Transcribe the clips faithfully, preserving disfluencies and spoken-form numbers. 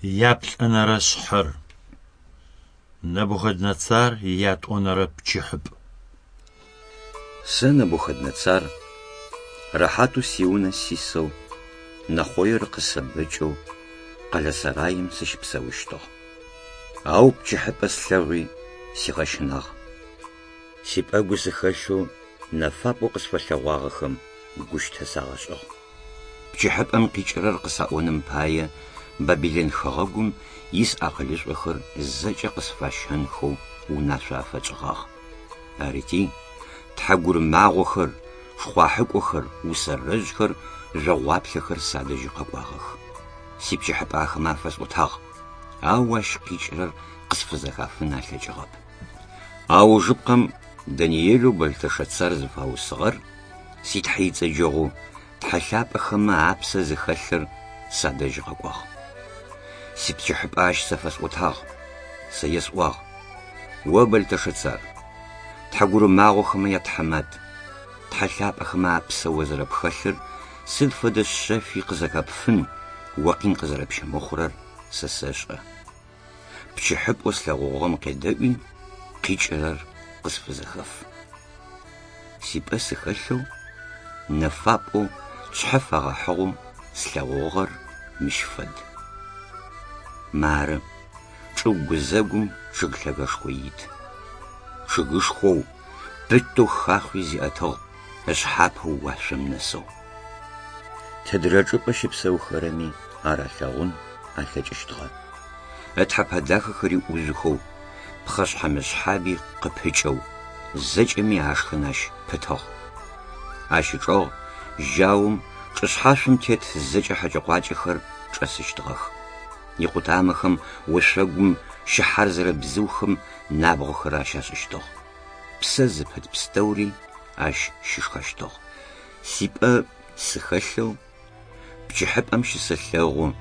Яплӏэнэрэ шъхьэр. Нэбухэднэцар иятӏонэрэ пчыхьыпӏ. Сэ Нэбухэднэцар рэхьатэу сиунэ сисэу, нэхъоир къысэбэкӏэу къэлэ сэраим сыщыпсэущтыгъ. Ау пчыхьыпӏэ слъэгъуи сигъэщынагъ. Сипӏэгу сыхэлъэу нэфапӏэу къысфэлъэгъуагъэхэм гущтэ сагъэшӏыгъ. Пчыхьыпӏэм къикӏырэр къысаӏоным пае Бабилэн хэгъэгум ис акъылышӏохэр зэкӏэ къысфащэнхэу унашъо афэчӏыгъагъ. Арыти, тхьэгурымагъохэр, шхъуахьыкӏохэр, усэрэжъхэр, жъогъуаплъэхэр садэжьы къэкӏуагъэх. Сипчыхьыпӏэ ахэмэ афэсӏотагъ, ау ащ къикӏырэр къысфызэхафын алъэкӏыгъэп. Аужыпкъэм Даниелэу Бэлтэшэцар зыфаусыгъэр си Тхьэ ицӏэджэгъу тхьэ лъапӏэхэмэ апсэ зыхэлъыр садэжь къэкӏуагъ. Сипчыхьыпӏэ ащ сэ фэсӏотагъ, сэ есӏуагъ: О Бэлтэшэцар, тхьэгурымагъохэмэ ятхьамат, тхьэ лъапӏэхэмэ апсэ о зэрэпхэлъыр сыд фэдэ шъэфи къызэхэпфын, о къин къызэрэпщымыхъурэр сэ сэшӏэ. Пчыхьыпӏэу слъэгъугъэм къедэӏуи, къикӏырэр къысфызэхэф. Сипӏэ сыхэлъэу, нэфапӏэу тшъхьэ фэгъэхьыгъэу слъэгъугъэр мыщ фэд. Мары, чӏыгу гузэгум чъыг лъэгэшхо ит. Чъыгышхоу, пытэу хахъуи зиӏэтыгъ, ышъхьапэу уашъом нэсыгъ. Тыдрэ чӏыпӏэ щыпсэухэрэми ар алъэгъун алъэкӏыщтыгъэ. Ытхьэпэ дахэхэри ӏужъухэу, пхъэшъхьэ-мышъхьаби къыпыкӏэу, зэкӏэми ашхын ащ пытыгъ. Ащ ычӏэгъ жьаум чӏышъхьашъом тет зэкӏэ хьэкӏэ-къуакӏэхэр чӏэсыщтыгъэх. Икъутамэхэм ошъогум щыхьэр зэрэбзыухэм набгъохэр ащашӏыщтыгъ. Псэ зыпыт пстэури ащ щышхэщтыгъ. Сипӏэ сыхэлъэу пчыхьыпӏэм щысэлъэгъу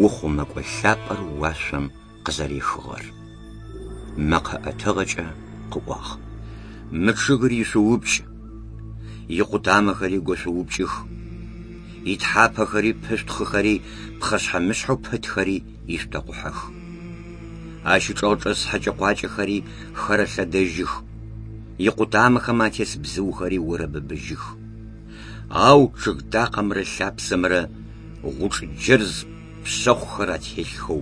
ухъумэкӏо лъапӏэр уашъом къызэрехыгъэр. Мэкъэ ӏэтыгъэкӏэ къыӏуагъ: Мы чъыгыр ишъуупкӏ, икъутамэхэри гошъуупкӏых, итхьапэхэри пышъутхъыхэри пхъэшъхьэ-мышъхьэу пытхэри ишъутэкъухьэх. Ащ ычӏэгъ чӏэс хьэкӏэ-къуакӏэхэри хэрэлъэдэжьых, икъутамэхэм атес бзыухэри орэбыбыжьых. Ау чъыг такъэмрэ лъапсэмрэ гъучӏ джэрз пшъэхъухэр ателъхэу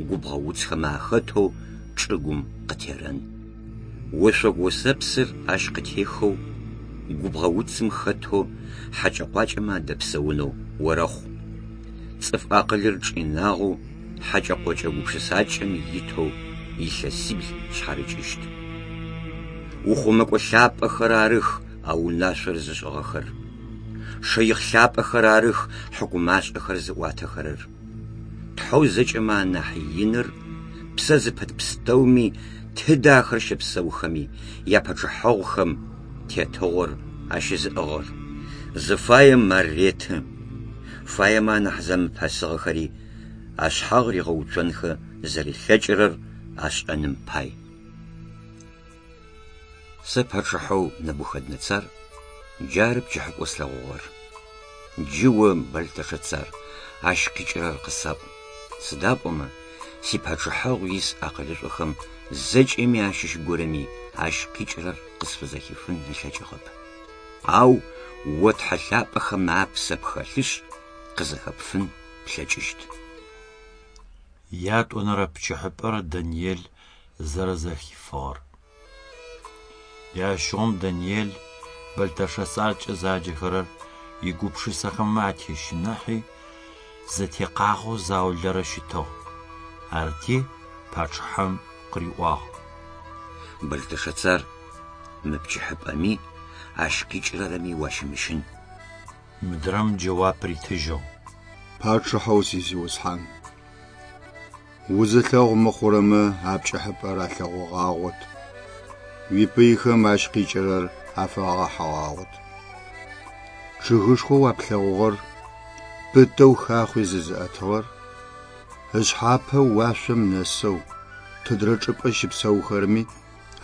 губгъо уцхэмэ ахэтэу чӏыгум къытерэн. Ошъогу осэпсыр ащ къытехэу губгъо уцым хэтэу хьэкӏэ-къуакӏэмэ адэпсэунэу орэхъу. Цӏыф акъылыр чӏинагъэу хьэкӏэ-къокӏэ гупшысакӏэм итэу илъэсибл шъхьарыкӏыщт. Ухъумэкӏо лъапӏэхэр арых а унашъор зышӏыгъэхэр. Шэихъ лъапӏэхэр арых хьыкумашӏэхэр зыӏуатэхэрэр. Тхьэу зэкӏэмэ анахь иныр псэ зыпыт пстэуми тыдэ ахэр щэпсэухэми япачъыхьэгъухэм тетыгъор ащызыӏыгъыр. Зыфаем ар реты, фаемэ анахь зэмыпэсыгъэхэри ашъхьагъ ригъэуцонхэ зэрилъэкӏырэр ашӏэным пай. Сэ пачъыхьэу Нэбухэднэцар джары пчыхьыпӏэу слъэгъугъэр. Джы о Бэлтэшэцар ащ къикӏырэр къысаӏу. Сыда пӏомэ сипачъыхьэгъу ис акъылышӏохэм зэкӏэми ащыщ горэми ащ къикӏырэр къысфызэхифын ылъэкӏыгъэп. Ау о тхьэ лъапӏэхэм апсэ пхэлъышъ, къызэхэпфын плъэкӏыщт. Ятӏонэрэ пчыхьыпӏэр Даниел зэрэзэхифыгъэр. Джащыгъум Даниел Бэлтэшэцаркӏэ заджэхэрэр игупшысэхэмэ атещыныхьи, зэтекъагъэу заулэрэ щытыгъ. Арти пачъыхьэм къыриӏуагъ: Бэлтэшэцар, мы пчыхьыпӏэми ащ къикӏырэрэми уащымыщын. Мыдрэм джэуап ритыжьыгъ: Пачъыхьэу сизиусхьан, узылъэгъу мыхъурэмэ а пкӏыхьыпӏэр алъэгъугъагъот, уипыйхэм ащ къикӏырэр афэгъэхьыгъагъот. Чъыгышхоу а плъэгъугъэр, пытэу хахъуи зызыӏэтыгъэр, ышъхьапэ уашъом нэсэу, тыдрэ чӏыпӏэ щыпсэухэрэми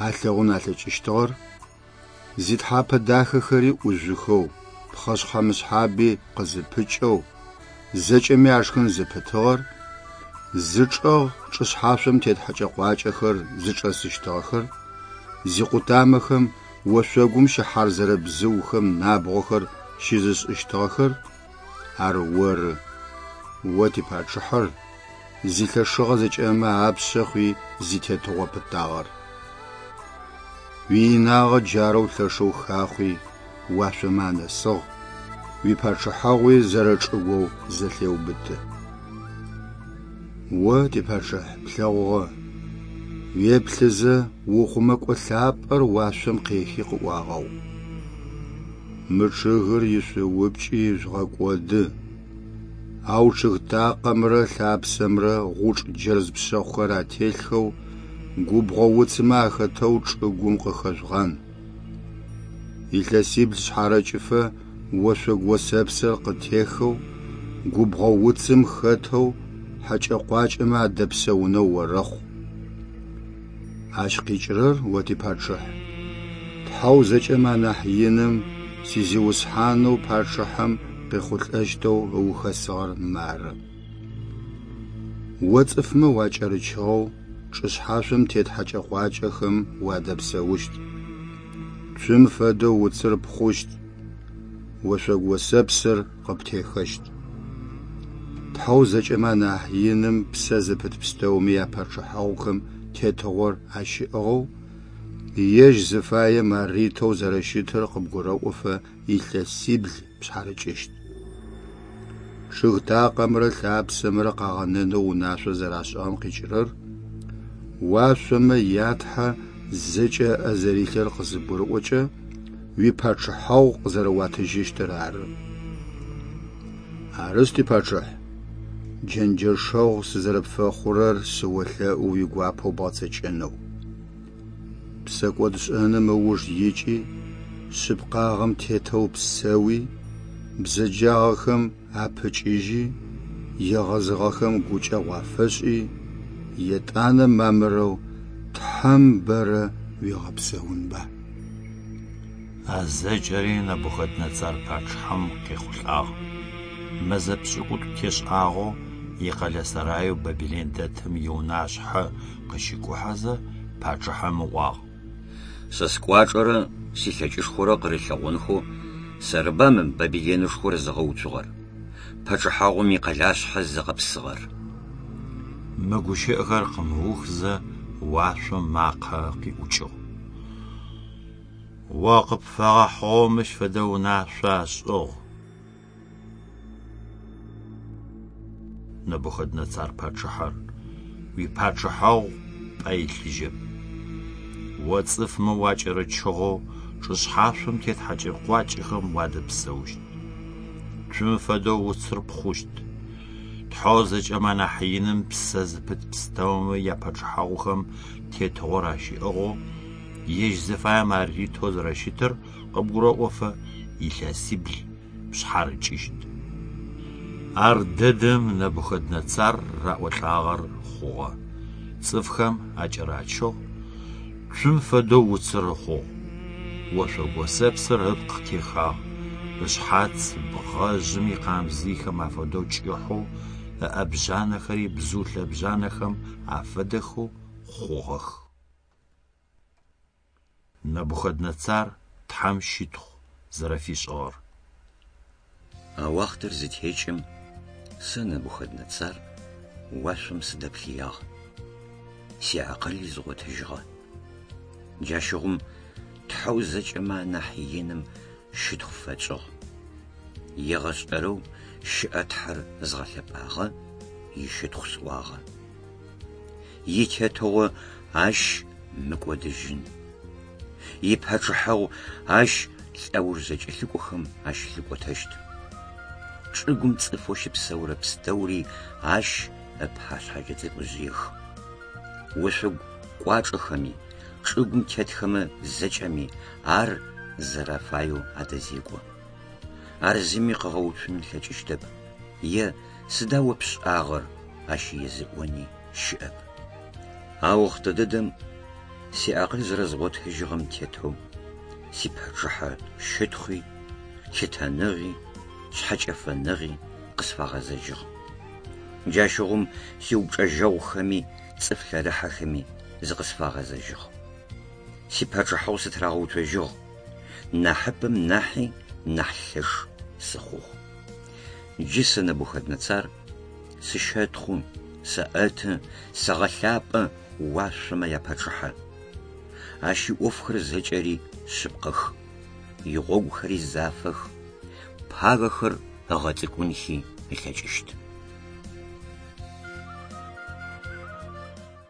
алъэгъун алъэкӏыщтыгъэр, зитхьапэ дахэхэри ӏужъухэу, пхъэшъхьэ-мышъхьаби къызыпыкӏэу, зэкӏэми ашхын зыпытыгъэр, Зычӏэгъ чӏышъхьашъом тет хьэкӏэ-къуакӏэхэр зычӏэсыщтыгъэхэр, зикъутамэхэм ошъогум щыхьарзэрэ бзыухэм набгъохэр щызышӏыщтыгъэхэр ар оры, о типачъыхьэр, зилъэшыгъэ зэкӏэмэ апшъэ хъуи зитетыгъо пытагъэр. Уиинагъэ джарэу лъэшэу хахъуи уашъомэ анэсыгъ, уипачъыхьэгъуи зэрэчӏыгоу зэлъеубыты. О, типачъыхь, плъэгъугъэ, уеплъызэ ухъумэкӏо лъапӏэр уашъом къехи къыӏуагъэу: «Мы чъыгыр ишъуупкӏи жъугъэкӏоды, ау чъыг такъэмрэ лъапсэмрэ гъучӏ джэрз пшъэхъухэр ателъхэу губгъо уцымэ ахэтэу чӏыгум къыхэжъугъан. Илъэсибл шъхьарэкӏыфэ ошъогу осэпсыр къытехэу, губгъо уцым хэтэу хьэкӏэ-къуакӏэмэ адэпсэунэу орэхъу». Ащ къикӏырэр, о типачъыхь, Тхьэу зэкӏэмэ анахь иным сизиусхьанэу пачъыхьэм къехъулӏэщтэу ыухэсыгъэр мары. О цӏыфмэ уакӏэрычыгъэу чӏышъхьашъом тет хьэкӏэ-къуакӏэхэм уадэпсэущт. Цум фэдэу уцыр пхъущт, ошъогу осэпсыр къыптехэщт. Тхьэу зэкӏэмэ анахь иным псэ зыпыт пстэуми япачъыхьэгъухэм тетыгъор ащыӏыгъэу, ежь зыфаем ар ритэу зэрэщытыр къыбгурэӏофэ илъэсибл пшъхьарыкӏыщт. Чъыг такъэмрэ лъапсэмрэ къагъэнэнэу унашъо зэрашӏыгъэм къикӏырэр уашъомэ я Тхьэ зэкӏэ ыӏэ зэрилъыр къызыбгурыӏокӏэ уипачъыхьэгъу къызэрэуатыжьыщтыр ары. Арышъ, типачъыхь, джэнджэшэгъу сызэрэпфэхъурэр сыолъэӏу уигуапэу бгъэцэкӏэнэу. Псэкӏодшӏэным ыуж икӏи, шъыпкъагъэм тетэу псэуи, бзэджагъэхэм апыкӏыжьи, егъэзыгъэхэм гукӏэгъу афэшӏи, етӏанэ мамырэу Тхьэм бэрэ уигъэпсэунба. А зэкӏэри Нэбухэднэцар пачъыхьэм къехъулӏагъ. Мэзэ пшӏыкӏутӏу тешӏагъэу икъэлэ сэраеу Бабилэн дэтым иунашъхьэ къыщикӏухьэзэ пачъыхьэм ыӏуагъ: Сэ скӏуачӏэрэ силъэкӏышхорэ къырылъэгъонхэу сэрыба мы Бабилэнышхор зыгъэуцугъэр, пачъыхьагъум икъэлашъхьэ зыгъэпсыгъэр. Мы гущыӏэхэр къымыухзэ уашъом макъэ къиӏукӏыгъ: О къыпфэгъэхьыгъэу мыщ фэдэ унашъо ашӏыгъ, Нэбухэднэцар пачъыхьэр, уипачъыхьэгъу пӏэ илъыжьэп. О цӏыфмэ уакӏэрычыгъэу чӏышъхьашъом тет хьэкӏэ-къуакӏэхэм уадэпсэущт. Цум фэдэу уцыр пхъущт. Тхьэу зэкӏэмэ анахь иным псэ зыпыт пстэумэ япачъыхьэгъухэм тетыгъор ащыӏыгъэу, ежь зыфаем ар ритэу зэрэщытыр къыбгурэӏофэ илъэсибл пшъхьарыкӏыщт. Ар дэдэм Нэбухэднэцар раӏолӏагъэр хъугъэ. Цӏыфхэм акӏэрачыгъ, цум фэдэу уцыр ыхъугъ. Ошъогу осэпсыр ыпкъ техагъ, ышъхьац бгъэжъым икъамзыйхэм афэдэу кӏыхьэу, ыӏэбжъанэхэри бзыу лъэбжъанэхэм афэдэхэу хъугъэх. Нэбухэднэцар Тхьэм щытхъу зэрэфишӏыгъэр. А уахътэр зытекӏым сэ Нэбухэднэцар уашъом сыдэплъыягъ. Сиакъыли згъотыжьыгъэ. Джащыгъум Тхьэу зэкӏэмэ анахь иным щытхъу фэтшӏыгъ. Егъэшӏэрэу щыӏэ Тхьэр згъэлъэпӏагъэ, ищытхъу сӏуагъэ. Итетыгъо ащ мыкӏодыжьын. Ипачъыхьэгъу ащ лӏэуж зэкӏэлъыкӏохэм ащ лъыкӏотэщт. Чӏыгум цӏыфэу щыпсэурэ пстэури ащ ыпашъхьэкӏэ цӏыкӏужъыех. Ошъогу кӏуачӏэхэми, чӏыгум тетхэмэ зэкӏэми ар зэрэфаеу адэзекӏо. Ар зыми къыгъэуцун ылъэкӏыщтэп, е сыда о пшӏагъэр ащ езыӏони щыӏэп. А охътэ дэдэм сиакъыл зэрэзгъотыжьыгъэм тетэу сипачъыхьэ щытхъуи, лъытэныгъи, шъхьэкӏэфэныгъи къысфагъэзэжьыгъ. Джащыгъум сиупчӏэжьэгъухэми цӏыф лъэрыхьэхэми зыкъысфагъэзэжьыгъ. Сипачъыхьэгъу сытырагъэуцожьыгъ, нахьыпэм нахьи нахь лъэш сыхъугъ. Джы сэ Нэбухэднэцар сыщэтхъу, сэӏэты, сэгъэлъапӏэ уашъомэ япачъыхьэ. Ащ иӏофхэр зэкӏэри шъыпкъэх, игъогухэри зафэх, пагэхэр ыгъэцӏыкӏунхи ылъэкӏыщт.